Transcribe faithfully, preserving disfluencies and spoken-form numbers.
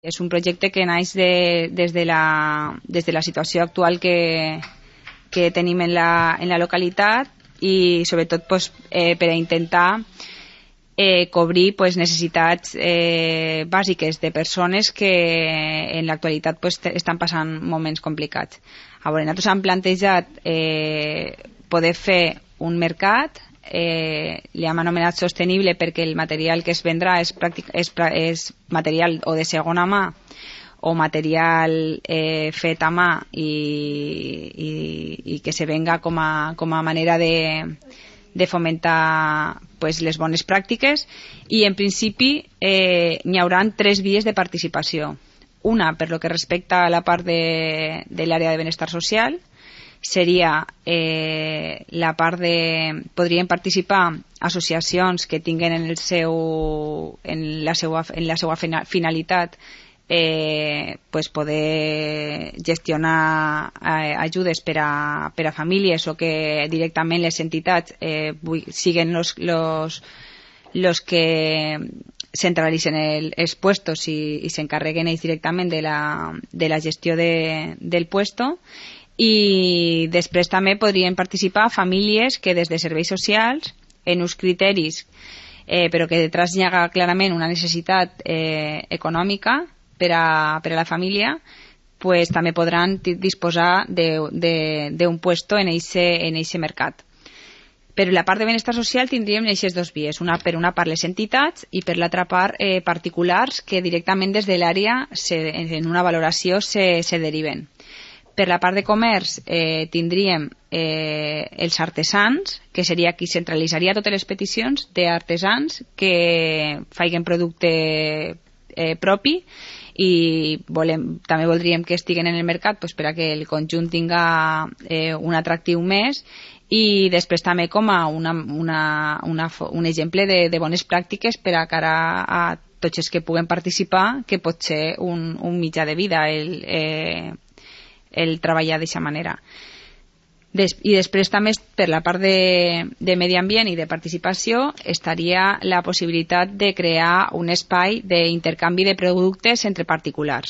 És un projecte que naix de, des, de la, des de la situació actual que, que tenim en la, en la localitat i sobretot pues, eh, per a intentar eh, cobrir pues, necessitats eh, bàsiques de persones que en l'actualitat pues, estan passant moments complicats. A veure, nosaltres hem plantejat eh, poder fer un mercat. Eh, li hem anomenat sostenible perquè el material que es vendrà és, pràctic, és, és material o de segona mà o material eh, fet a mà i, i, i que se venga com a, com a manera de, de fomentar pues, les bones pràctiques i en principi eh, n'hi haurà tres vies de participació. Una per lo que respecta a la part de, de l'àrea de benestar social, seria eh, la part de... podrien participar associacions que tinguen en, el seu, en, la, seva, en la seva finalitat eh, pues poder gestionar eh, ajudes per a, per a famílies o que directament les entitats eh, siguen los, los, los que centralitzen el, els puestos i, i s'encarreguen ells directament de la, de la gestió de, del puesto. I després també podrien participar famílies que des de serveis socials, en uns criteris, eh, però que detrás hi ha clarament una necessitat eh, econòmica per a, per a la família, pues, també podran disposar d'un puesto en eixe en eixe mercat. Per la part de benestar social tindríem aquestes dues vies, una per una part les entitats i per l'altra part eh, particulars que directament des de l'àrea en una valoració se, se deriven. Per la part de comerç eh, tindríem eh, els artesans, que seria qui centralitzaria totes les peticions d'artesans que faiguen producte eh, propi i volem, també voldríem que estiguen en el mercat pues, per a que el conjunt tinga eh, un atractiu més i després també com a una, una, una, un exemple de, de bones pràctiques per a cara a tots els que puguen participar, que pot ser un, un mitjà de vida el eh, el treballar d'aquesta manera. Des, I després també per la part de, de medi ambient i de participació estaria la possibilitat de crear un espai d'intercanvi de productes entre particulars.